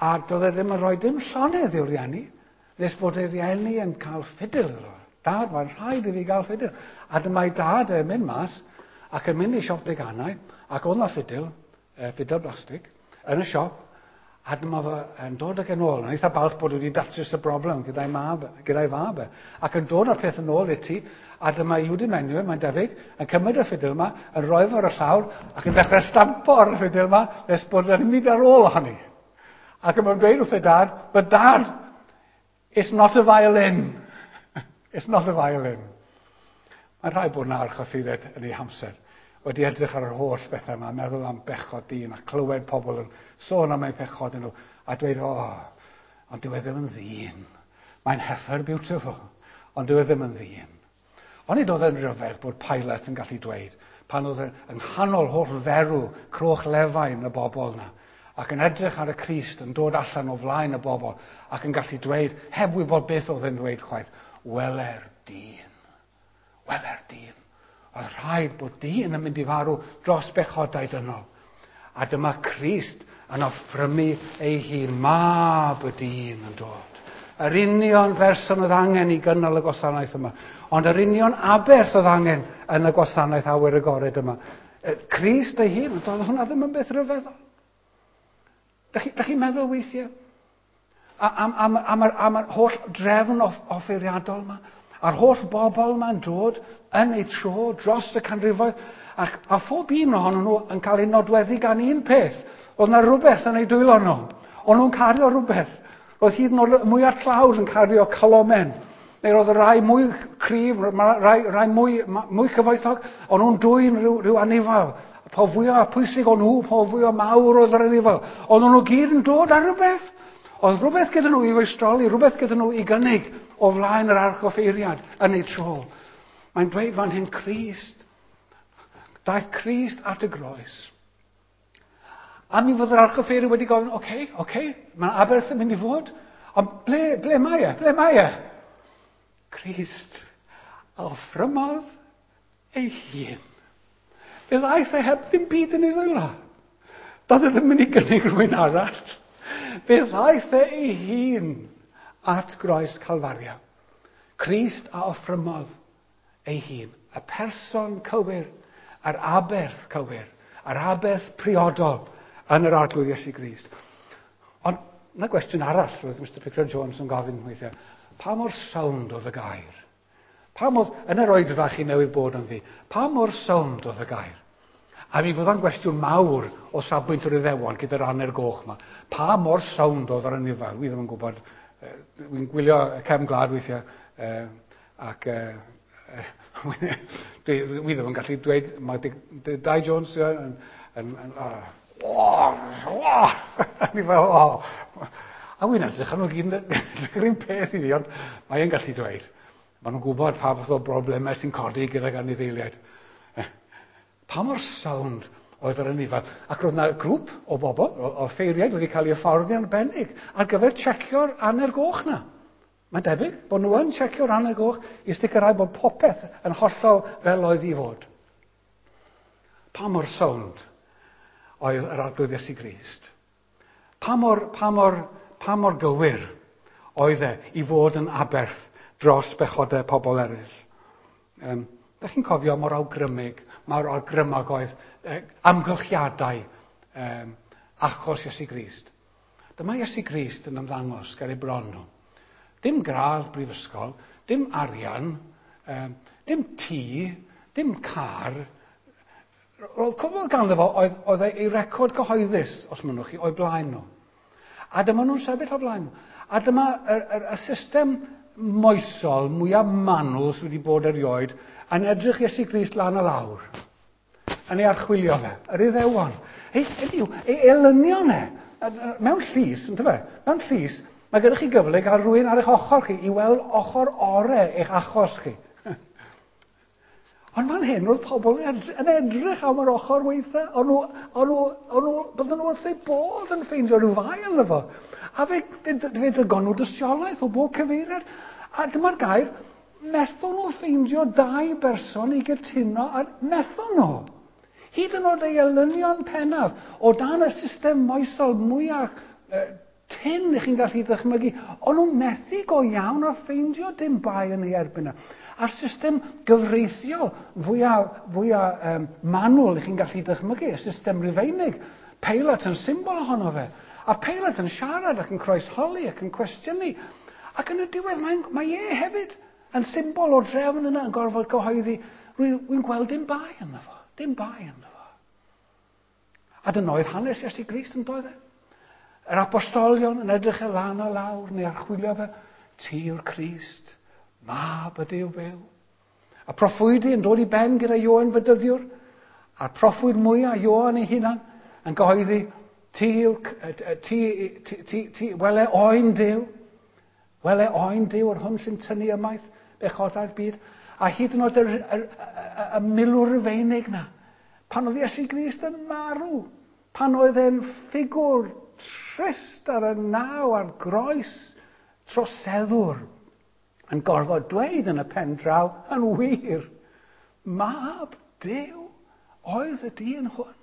Speaker 1: A doedd e ddim yn rhoi dim llonydd i'w rieni, nes bod ei rieni yn cael ffidil iddo. Dad, mae'n rhaid i fi gael ffidil. A dyma'i dad yn mynd mas, ac yn mynd i siop deganau, ac oedd na ffidil, ffidil blastig, yn y siop, a dyma fo yn dod ag yn ôl. Yn eitha balch bod wedi datrys y broblem gyda'i mab, gyda'i fab. Ac yn dod â'r peth yn ôl i ti, a dyma Yehudi Menuhin, mae'n debyg, yn cymryd y ffidil yma, yn rhoi fo ar y llawr, ac yn dechrau stampo ar y ffidil yma, nes bod yn mynd ar ôl ohoni. Ac yn dweud wrth ei dad, but dad, it's not a violin. It's not a violin. Mae'n rhaid bod yna archoffeiriad yn ei hamser wedi edrych ar yr holl bethau yma, meddwl am bechod dyn a clywed pobl yn sôn am eu pechod nhw a dweud, o, oh, ond dyw e ddim yn ddyn. Mae'n heifer beautiful, ond dyw e ddim yn ddyn. Onid oedd e'n rhyfedd bod Pilate yn gallu dweud, pan oedd e yng nghanol holl ferw croch lefain y bobl yna, ac yn edrych ar y Crist yn dod allan o flaen y bobl, ac yn gallu dweud, heb wybod beth oedd e'n dweud chwaith, wele'r dyn, wele'r dyn. Oedd rhaid bod dyn yn mynd i farw dros bechodau dynol. A dyma Crist yn offrymu ei hun, mab y dyn yn dod. Yr union berson oedd angen i gynnal y gwasanaeth yma. Ond yr union aberth oedd angen yn y gwasanaeth awyr agored yma. Crist ei hun, doedd hwnna ddim yn beth rhyfeddol. Dach chi, dach chi'n meddwl weithiau am, am, am, am, am yr holl drefn off, offeiriadol yma? A'r holl bobl yma'n dod yn eu tro dros y canrifoedd, ac, a phob un ohonyn nhw yn cael ei nodweddu gan un peth. Oedd yna rhywbeth yn eu dwylo nhw. O'n nhw'n cario rhywbeth. Roedd hyd yn oed mwyaf tlawd yn cario colomen. Neu roedd y rai mwy cryf, rai, rai mwy, mwy cyfoethog, o'n nhw'n dwyn rhyw, rhyw anifal. Po fwyaf pwysig o'n nhw, po fwyaf mawr oedd yr anifal. O'n nhw gyd yn dod ar rhywbeth. Oedd rhywbeth gyda nhw i feistroli, rhywbeth gyda nhw i gynnig o flaen yr archoffeiriad yn ei tro. Mae'n dweud fan hyn Crist. Daeth Crist at y groes. A mi fod yr archoffeiri wedi gofyn, oce, okay, oce, okay, mae'n aberth yn mynd i fod, ond ble, ble mae e? Ble mae e? Crist a offrymodd ei hun. Fe ddaeth e heb ddim byd yn ei ddwylo. Doedd e ddim mynd i gynnig rhywun arall. Fe ddaeth e ei hun at groes Calfaria. Crist a offrymodd ei hun. Y person cywir, yr aberth cywir, yr aberth priodol yn yr Arglwydd Iesu Grist. Ond yna gwestiwn arall roedd Mister Pickard Jones yn gofyn weithiau. Pa mor sownd oedd y gair? Pa mor, yn yr oedfa chi newydd bod ynddi, pa mor sownd oedd y gair? A mi fydda'n gwestiwn mawr o safbwynt yr Iddewon gyda'r aner goch yma. Pa mor sownd oedd yr anifail? Wi ddim yn gwybod. Wy'n gwylio cefn gwlad weithiau ac dwi, wi ddim yn gallu dweud, mae Dai Jones yn, yn, yn, oh, oh, ni fel, oh. A wy'n edrych ar nhw gyd yn edrych yr un peth i fi, ond mae e'n gallu dweud. Maen nhw'n gwybod pa fath o broblemau sy'n codi gydag anifeiliaid. Pa mor sownd oedd yr anifail. Ac roedd yna grŵp o bobl, o, o ffeiriaid wedi cael eu hyfforddi arbennig ar gyfer checio'r aner goch na. Mae'n debyg bod nhw yn checio'r aner goch i sicrhau bod popeth yn hollol fel oedd i fod. Pa mor sownd oedd yr Arglwydd Iesu Grist? Pa mor, pa mor, pa mor gywir oedd e i fod yn aberth dros bechodau pobl eraill? Um, Dych chi'n cofio mor awgrymig, mor awgrymog oedd eh, amgylchiadau um, achos Iesu Grist. Dyma Iesu Grist yn ymddangos ger ei bron nhw. Dim gradd brifysgol, dim arian, um, dim tŷ, dim car. Roedd cwbl ganddo fo oedd, oedd ei record cyhoeddus, os mynnwch chi, o'i blaen nhw. A dyma nhw'n sefyll o blaen nhw. A dyma y, y, y system moesol mwyaf manwl sydd wedi bod erioed yn edrych Iesu Grist lan a lawr, yn ei archwilio fe, yr Iddewon. Ei, ei, ei elynion e, mewn llys, yntyfe? Mewn llys, mae gennych chi gyfle i gael rhywun ar eich ochr chi i weld ochr orau eich achos chi. Ond fan hyn, roedd pobl yn edrych am yr ochr weitha, o'n nhw, o'n nhw, o'n nhw, bydden nhw wrth eu bodd yn ffeindio rhyw fai ynddo fo. A fe, fe, fe ddygon nhw dystiolaeth o bob cyfeiriad. A dyma'r gair, methon nhw ffeindio dau berson i gytuno, a methon nhw. Hyd yn oed ei elynion pennaf, o dan y system moesol mwyaf eh, tyn i chi'n gallu ddychmygu, o'n nhw methu go iawn a ffeindio dim bai yn ei erbyn yna. A'r system gyfreithiol fwyaf, fwyaf um, manwl i chi'n gallu dychmygu, y system Rufeinig, Pilate yn symbol ohono fe. A Pilate yn siarad ac yn croesholi ac yn cwestiynu. Ac yn y diwedd mae, mae e hefyd yn symbol o'r drefn yna yn gorfod cyhoeddi, rwy'n gweld dim bai ynddo fo, dim bai ynddo fo. A dyna oedd hanes Iesu Grist yn doedd e. Yr apostolion yn edrych e lan a lawr neu archwilio fe, ti yw'r Crist, mab y Duw byw. A proffwydi yn dod i ben gyda Ioan Fedyddiwr, a'r proffwyd mwyaf Ioan ei hunan yn gyhoeddi, ti yw'r, ti, ti, ti, ti, wele oen Duw, wele oen Duw yr hwn sy'n tynnu ymaith bechodau'r byd. A hyd yn oed y, y, y, y milwr Rufeinig na, pan oedd Iesu Grist yn marw, pan oedd e'n ffigwr trist ar y naw a'r groes troseddwr, yn gorfod dweud yn y pen draw, yn wir, mab Duw oedd y dyn hwn.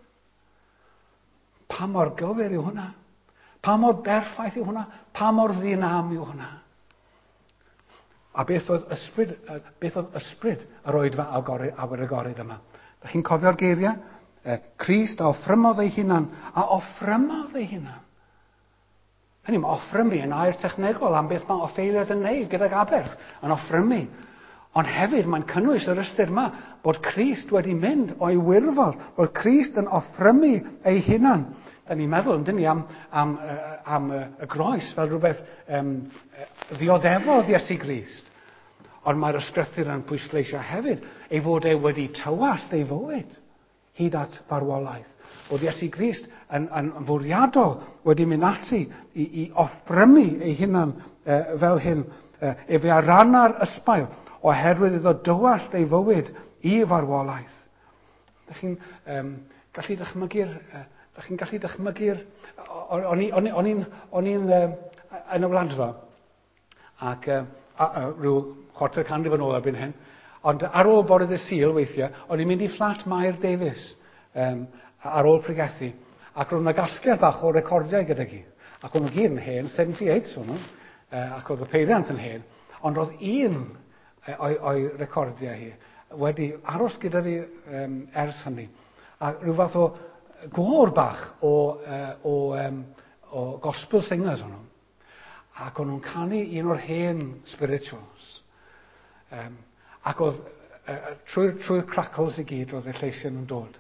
Speaker 1: Pa mor gywir yw hwnna? Pa mor berffaith yw hwnna? Pa mor ddinam yw hwnna? A beth oedd ysbryd, beth oedd ysbryd yr oedfa awyr agored yma? Dach chi'n cofio'r geiriau? Crist a offrymodd ei hunan, a offrymodd ei hunan. Hynny, mae offrymu yn air technegol am beth mae offeiliad yn neud gydag aberth, yn offrymu. Ond hefyd mae'n cynnwys yr ystyr yma bod Crist wedi mynd o'i wirfodd, bod Crist yn offrymu ei hunan. Da ni'n meddwl, yndyn ni, am, am, am y groes fel rhywbeth um, ddioddefodd Iesu Grist. Ond mae'r ysgrythur yn pwysleisio hefyd ei fod e wedi tywallt ei fywyd hyd at farwolaeth. Bod Iesu Grist yn, yn fwriadol wedi mynd ati i, i offrymu ei hunan e, fel hyn. E, efe a ranna'r ysbail oherwydd iddo dywallt ei fywyd i farwolaeth. Dych chi'n um, gallu dychmygu'r Da chi'n gallu dychmygu'r... O'n i'n o'n i'n yn y Wladfa, ac uh, a, a, rhyw chwarter canrif yn ôl erbyn hyn, ond ar ôl bore ddydd Sul weithiau, o'n i'n mynd i fflat Mair Davies um, ar ôl pregethu, ac roedd yna gasgliad bach o recordiau gyda hi. Ac o'n nhw gyd yn hen, seventy-eight o'n nhw, uh, ac oedd y peiriant yn hen, ond roedd un o'i, o'i recordiau hi wedi aros gyda fi um, ers hynny. A rhyw fath o gôr bach o, uh, o, um, o gospel singers o'n nhw. Ac o'n nhw'n canu un o'r hen spirituals. Um, ac oedd, uh, trwy'r trwy crackles i gyd, roedd y lleisiau nhw'n dod.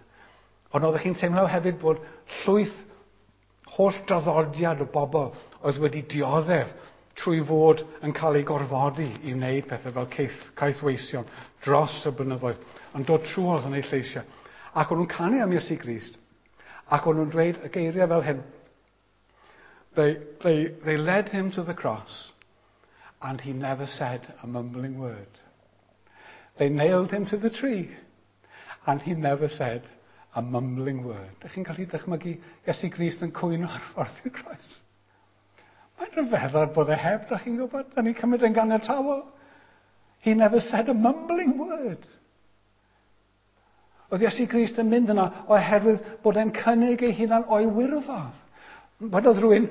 Speaker 1: Ond oeddech chi'n teimlo hefyd bod llwyth holl draddodiad o bobl oedd wedi dioddef trwy fod yn cael ei gorfodi i wneud pethau fel caeth, caethweision dros y blynyddoedd, yn dod trwodd yn eu lleisiau. Ac o'n nhw'n canu am Iesu Grist, ac o'n nhw'n dweud y geiriau fel hyn. They, they, they led him to the cross, and he never said a mumbling word. They nailed him to the tree, and he never said a mumbling word. Dych chi'n gallu dychmygu Iesu Grist yn cwyno ar ffordd i'r groes? Mae'n rhyfeddol bod e heb, dych chi'n gwybod? Da ni'n cymryd yn ganiatawol. He never said a mumbling word. Oedd Iesu Grist yn mynd yna oherwydd bod e'n cynnig ei hunan o'i wirfodd. Wedodd rhywun,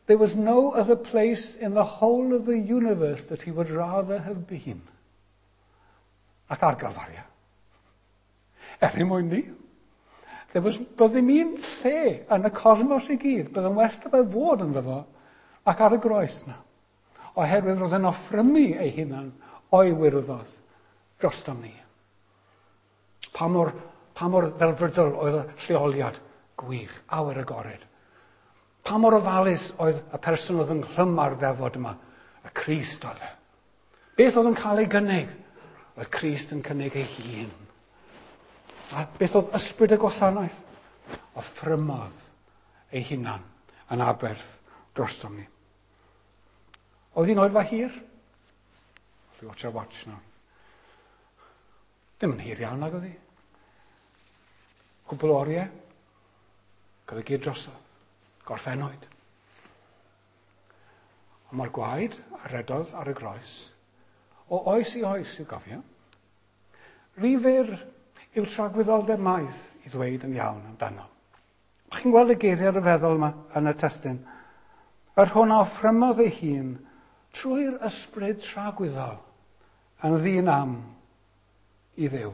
Speaker 1: "There was no other place in the whole of the universe that he would rather have been." Ac ar Galfaria. Er ein mwyn ni. There was, doedd ddim un lle yn y cosmos i gyd, bydd yn well 'da fe fod ynddo fo, ac ar y groes na. Oherwydd roedd e'n offrymu ei hunan o'i wirfodd drostom ni. Pa mor, pa mor ddelfrydol oedd y lleoliad gwych, awyr agored. Pa mor ofalus oedd y person oedd ynghlwm â'r ddefod yma, y Crist oedd e. Beth oedd yn cael ei gynnig? Oedd Crist yn cynnig ei hun. A beth oedd ysbryd y gwasanaeth? Offrymodd ei hunan yn aberth drostom ni. Oedd hi'n oedfa hir? Watch our watch now. Ddim yn hir iawn nag oedd hi. Cwpl o oriau. Oedd e gyd drosodd. Gorffennwyd. Ond mae'r gwaed a redodd ar y groes o oes i oes i'w gofio. Rhy fyr yw tragwyddoldeb maith i ddweud yn iawn amdano. Chi'n gweld y geiriau rhyfeddol yma yn y testun? Yr hwn a offrymodd ei hun trwy'r ysbryd tragwyddol yn ddi-nam i Dduw.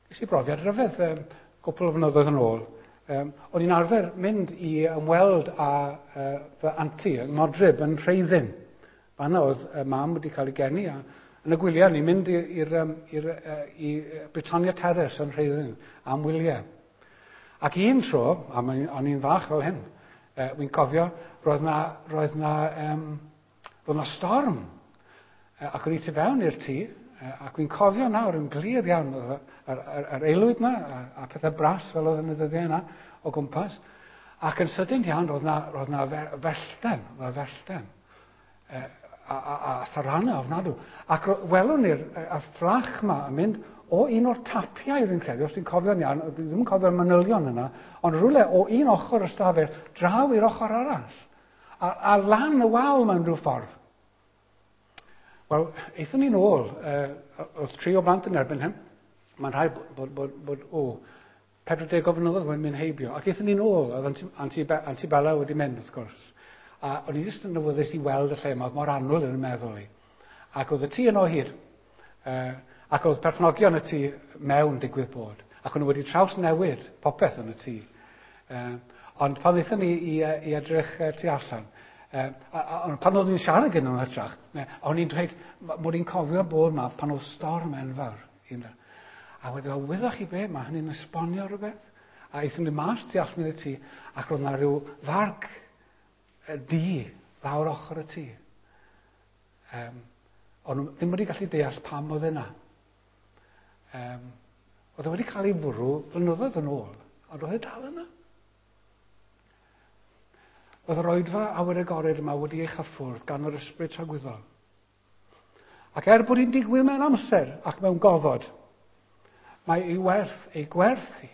Speaker 1: Ges i brofiad rhyfedd um, gwpl o flynyddoedd yn ôl. Um, o'n i'n arfer mynd i ymweld â uh, fy anti yng Ngodrib yn Rheiddin. Fanna oedd uh, mam wedi cael ei geni a yn y gwyliau ni'n mynd i'r, i'r, i Britannia Terrace yn Rheiddin am wyliau. Ac un tro, a o'n i'n fach fel hyn, uh, wy'n cofio, roedd na, roedd na, um, roedd na storm. Uh, ac o'n i tu fewn i'r tŷ, uh, ac wy'n cofio nawr yn glir iawn, yr, yr, yr, yr aelwyd na, a, a pethau bras fel oedd yn y ddyddiau yna o gwmpas. Ac yn sydyn iawn, roedd na, roedd na fellten, roedd na fellten. Uh, a, a, a tharanau ofnadw. Ac welwn ni'r y fflach yma yn mynd o un o'r tapiau, rwy'n credu, os dwi'n cofio'n iawn, dwi ddim yn cofio'r manylion yna, ond rhywle o un ochr y stafell draw i'r ochr arall. A, a lan y wal mewn rhyw ffordd. Wel, aethon ni'n ôl, uh, oedd tri o blant yn erbyn hyn. Mae'n rhaid bod, bod, bod, bod o, pedwar deg o flynyddoedd wedi mynd heibio. Ac aethon ni'n ôl, oedd Anti, Anti Bella wedi mynd, wrth gwrs. A o'n i jyst yn awyddus i weld y lle yma, oedd mor annwyl yn y meddwl i. Ac oedd y tŷ yno o hyd. Uh, ac oedd perchnogion y tŷ mewn digwydd bod. Ac o'n nhw wedi trawsnewid popeth yn y tŷ. Uh, ond pan ddaethon ni i, i edrych uh, tu allan, uh, a, a, a, pan oeddwn i'n siarad gyda nhw'n hytrach, o'n i'n dweud mod i'n cofio bod yma pan oedd storm enfawr. A wedyn, o, wyddoch chi be, mae hynny'n esbonio rhywbeth. A aethon ni mas tu allan i'r tŷ, ac roedd yna rhyw farc du lawr ochr y tŷ. Um, ond nhw ddim wedi gallu deall pam oedd yna. Um, oedd e wedi cael ei fwrw flynyddoedd yn ôl, ond oedd e dal yna. Oedd yr oedfa awyr agored yma wedi ei chyffwrdd gan yr ysbryd tragwyddol. Ac er bod hi'n digwydd mewn amser ac mewn gofod, mae ei werth, ei gwerth hi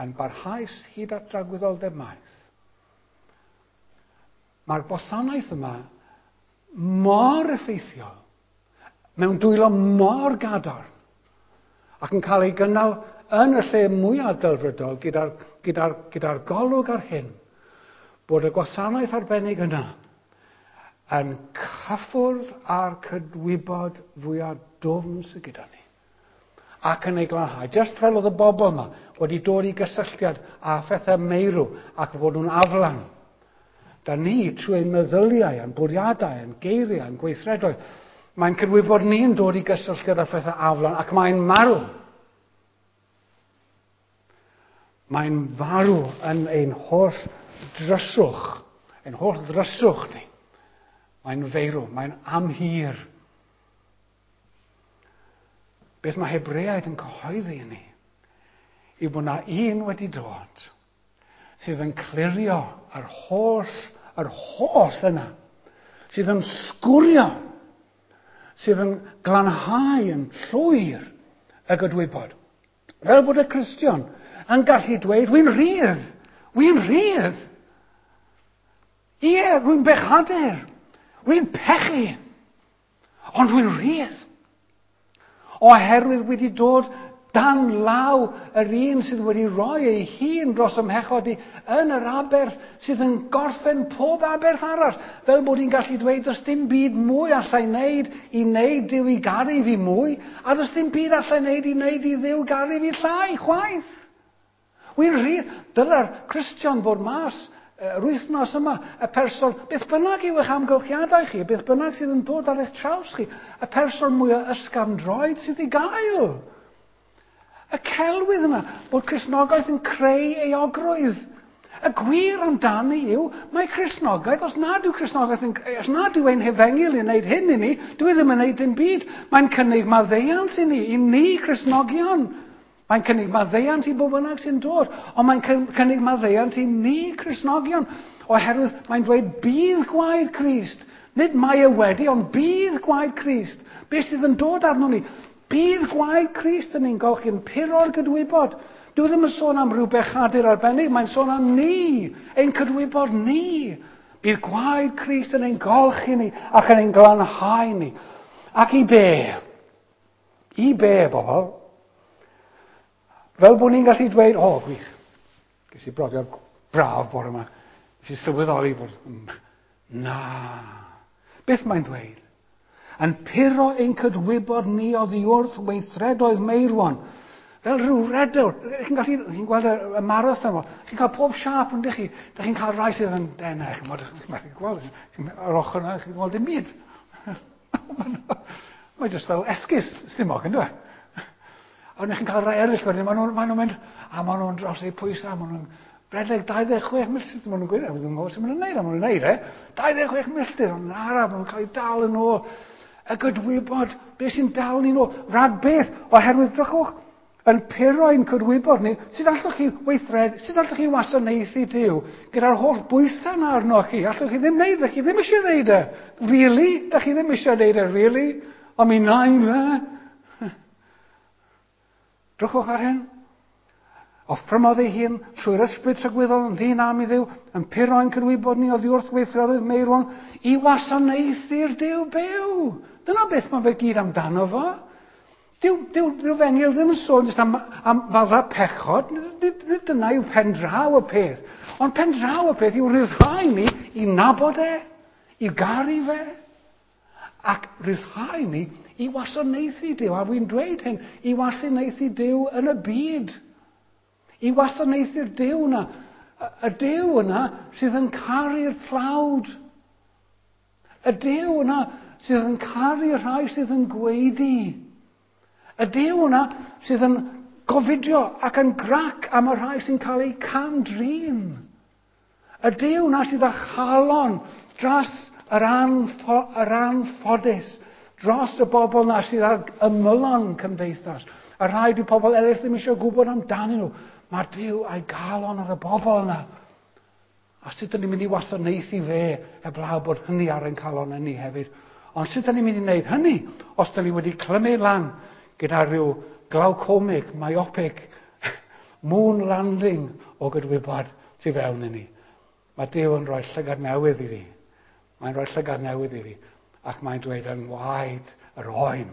Speaker 1: Yn barhaus hyd at dragwyddoldeb maith. Mae'r gwasanaeth yma mor effeithiol, mewn dwylo mor gadarn, ac yn cael ei gynnal yn y lle mwyaf delfrydol gyda'r, gyda'r, gyda'r golwg ar hyn, bod y gwasanaeth arbennig yna yn cyffwrdd â'r cydwybod fwyaf dwfn sydd gyda ni. Ac yn ei glanhau. Just fel oedd y bobl yma wedi dod i gysylltiad â phethau meirw ac fod nhw'n aflan. Da ni, trwy ein meddyliau, ein bwriadau, ein geiriau, ein gweithredoedd, mae'n cydwybod ni'n dod i gysylltiad â phethau aflan ac mae'n marw. Mae'n farw yn ein holl dryswch, ein holl ddryswch ni. Mae'n feirw, mae'n amhir. Beth mae Hebreaid yn cyhoeddi i ni yw bod na un wedi dod sydd yn clirio yr holl, yr holl yna, sydd yn sgwrio, sydd yn glanhau yn llwyr y gydwybod. Fel bod y Cristion yn gallu dweud, wy'n rhydd, wy'n rhydd. Ie, rwy'n bechadur, rwy'n pechu, ond rwy'n rhydd. Oherwydd wedi dod dan law yr un sydd wedi rhoi ei hun dros ymhechod i yn yr aberth sydd yn gorffen pob aberth arall. Fel bod hi'n gallu dweud, does dim byd mwy allai wneud i wneud Duw i garu fi mwy, a does dim byd allai wneud i wneud i Dduw garu fi llai, chwaith. Wy'n rhydd, dyla'r Cristion fod mas yr wythnos yma, y person, beth bynnag yw eich amgylchiadau chi, beth bynnag sydd yn dod ar eich traws chi, y person mwyaf ysgafn droed sydd i gael. Y celwydd yma, bod Cristnogaeth yn creu euogrwydd. Y gwir amdani yw, mae Cristnogaeth, os nad yw Cristnogaeth yn, os nad yw ein hefengyl yn gwneud hyn i ni, dwi ddim yn gwneud dim byd. Mae'n cynnig maddeuant i ni, i ni Cristnogion. Mae'n cynnig maddeuant i bob bynnag sy'n dod, ond mae'n cynnig maddeuant i ni Cristnogion, oherwydd mae'n dweud bydd gwaed Crist. Nid mae e wedi, ond bydd gwaed Crist. Beth sydd yn dod arno ni? Bydd gwaed Crist yn ein golchi'n puro'r gydwybod. Dwi ddim yn sôn am rhyw bechadur arbennig, mae'n sôn am ni, ein cydwybod ni. Bydd gwaed Crist yn ein golchi ni ac yn ein glanhau ni. Ac i be? I be, bobl? Fel bod ni'n gallu dweud, o, oh, gwych, ges i brofiad braf bore yma, nes i sylweddoli bod, na. Beth mae'n dweud? Yn puro ein cydwybod ni oddi wrth weithredoedd meirwon. Fel rhyw redewr. Chi'n gallu, chi'n gweld y, y marathon, chi'n cael pob siâp, yndych chi? Dych chi'n cael rai sydd yn denau, chi'n methu gweld, ar ochr yna, chi'n gweld dim byd. Mae jyst fel esgus stumog, ynddo? A wedyn chi'n cael rai eraill wedyn, maen nhw'n maen nhw mynd, a maen nhw'n dros eu pwysau, maen nhw'n redeg dau ddeg chwech milltir, maen nhw'n gweud, maen nhw'n gwybod sut maen nhw'n neud, maen nhw'n neud e, dau ddeg chwech milltir, ond araf, maen nhw'n cael eu dal yn ôl. Y gydwybod, beth sy'n dal ni'n ôl, rhag beth, oherwydd drychwch, yn puro ein cydwybod ni, sut allwch chi weithred, sut allwch chi wasanaethu Duw gyda'r holl bwysau yna arnoch chi, allwch chi ddim neud, chi ddim eisiau neud e, really? Dach chi ddim eisiau neud e, really? Ond mi wna i fe. Drychwch ar hyn. Offrymodd ei hun trwy'r ysbryd tragwyddol yn ddyn am i Dduw, yn puro ein cydwybod ni oddi wrth weithredoedd meirwon i wasanaethu'r Duw byw. Dyna beth mae fe gyd amdano fo. Dyw, dyw, dyw fengil ddim yn sôn jyst am, am fadda pechod. Nid, nid dyna yw pendraw y peth. Ond pendraw y peth yw rhyddhau ni i nabod e, i garu fe, ac rhyddhau ni i wasanaethu Duw. A wy'n dweud hyn, i wasanaethu Duw yn y byd. I wasanaethu'r Duw yna. Y Duw yna sydd yn caru'r tlawd. Y Duw yna sydd yn caru'r rhai sydd yn gweiddi. Y Duw yna sydd yn gofidio ac yn grac am y rhai sy'n cael eu cam-drin. Y Duw yna sydd â chalon dros yr, anffo, yr anffodus, dros y bobl yna sydd ar ymylon cymdeithas. Y rhai di pobl eraill ddim eisiau gwybod amdanyn nhw. Mae Duw a'i galon ar y bobl yna. A sut ydyn ni'n mynd i wasanaethu fe heblaw bod hynny ar ein calon ni hefyd. Ond sut ydyn ni'n mynd i wneud hynny os ydyn ni wedi clymu lan gyda rhyw glaucomic, myopic, moon landing o gydwybod tu fewn i ni. Mae Duw yn rhoi llygad newydd i fi. Mae'n rhoi llygad newydd i fi. Ac mae'n dweud yn waed yr oen.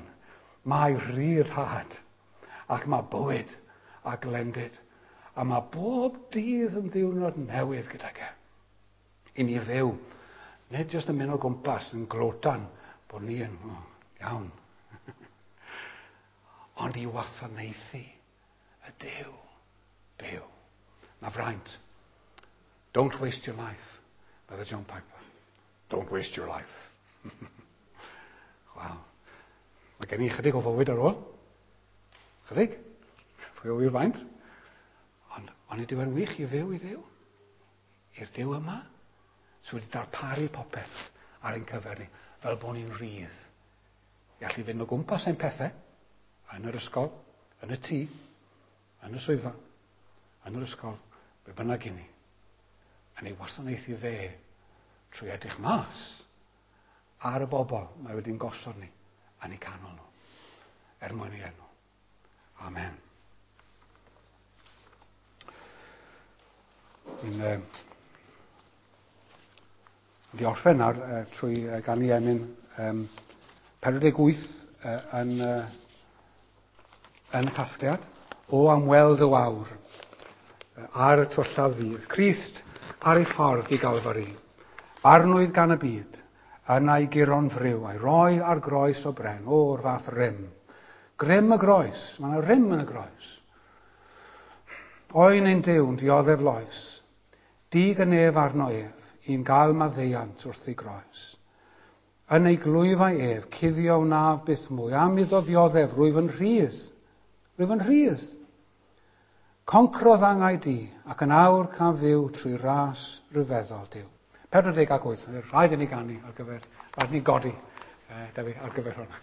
Speaker 1: Mae rhyddhad. Ac mae bywyd a glendid. A mae bob dydd yn ddiwrnod newydd gydag e. I ni fyw. Nid jyst yn mynd o gwmpas yn glotan bod ni yn oh, iawn. Ond i wasanaethu y Duw byw. Mae fraint. Don't waste your life, medde John Piper. Don't waste your life. Wel, mae gen i chydig o fywyd ar ôl. Chydig. Pwy o wir faint. Ond, ond nid yw'n wych i fyw i Dduw. I'r Duw yma, sydd wedi darparu popeth ar ein cyfer ni, fel bod ni'n rhydd. I allu fynd o gwmpas ein pethau, yn yr ysgol, yn y tŷ, yn y swyddfa, yn yr ysgol, be bynnag i ni. Yn ei wasanaethu fe trwy edrych mas ar y bobl mae wedi'n gosod ni yn eu canol nhw, er mwyn ei enw. Amen. Ni'n uh, wedi orffen nawr uh, trwy uh, ganu emyn um, pedwar deg wyth uh, yn, uh, yn y casgliad. O am weld y wawr uh, ar y twyllaf ddydd. Crist ar ei ffordd i Galfari. Barnwyd gan y byd, yna i guro'n friw, a'i roi ar groes o bren, o'r fath rym. Grym y groes, mae yna rym yn y groes. Oen ein Duw'n dioddef loes, dig y nef arno ef, i'n gael maddeuant wrth ei groes. Yn ei glwyfau ef, cuddio wnaf byth mwy, am iddo ddioddef, rwyf yn rhydd, rwyf yn rhydd. Concrodd angau di, ac yn awr caf fyw trwy ras ryfeddol Duw. pedwar deg ac wyth, rhaid i ni ganu ar gyfer, rhaid i ni godi, eh, Dewi, ar gyfer hwnna.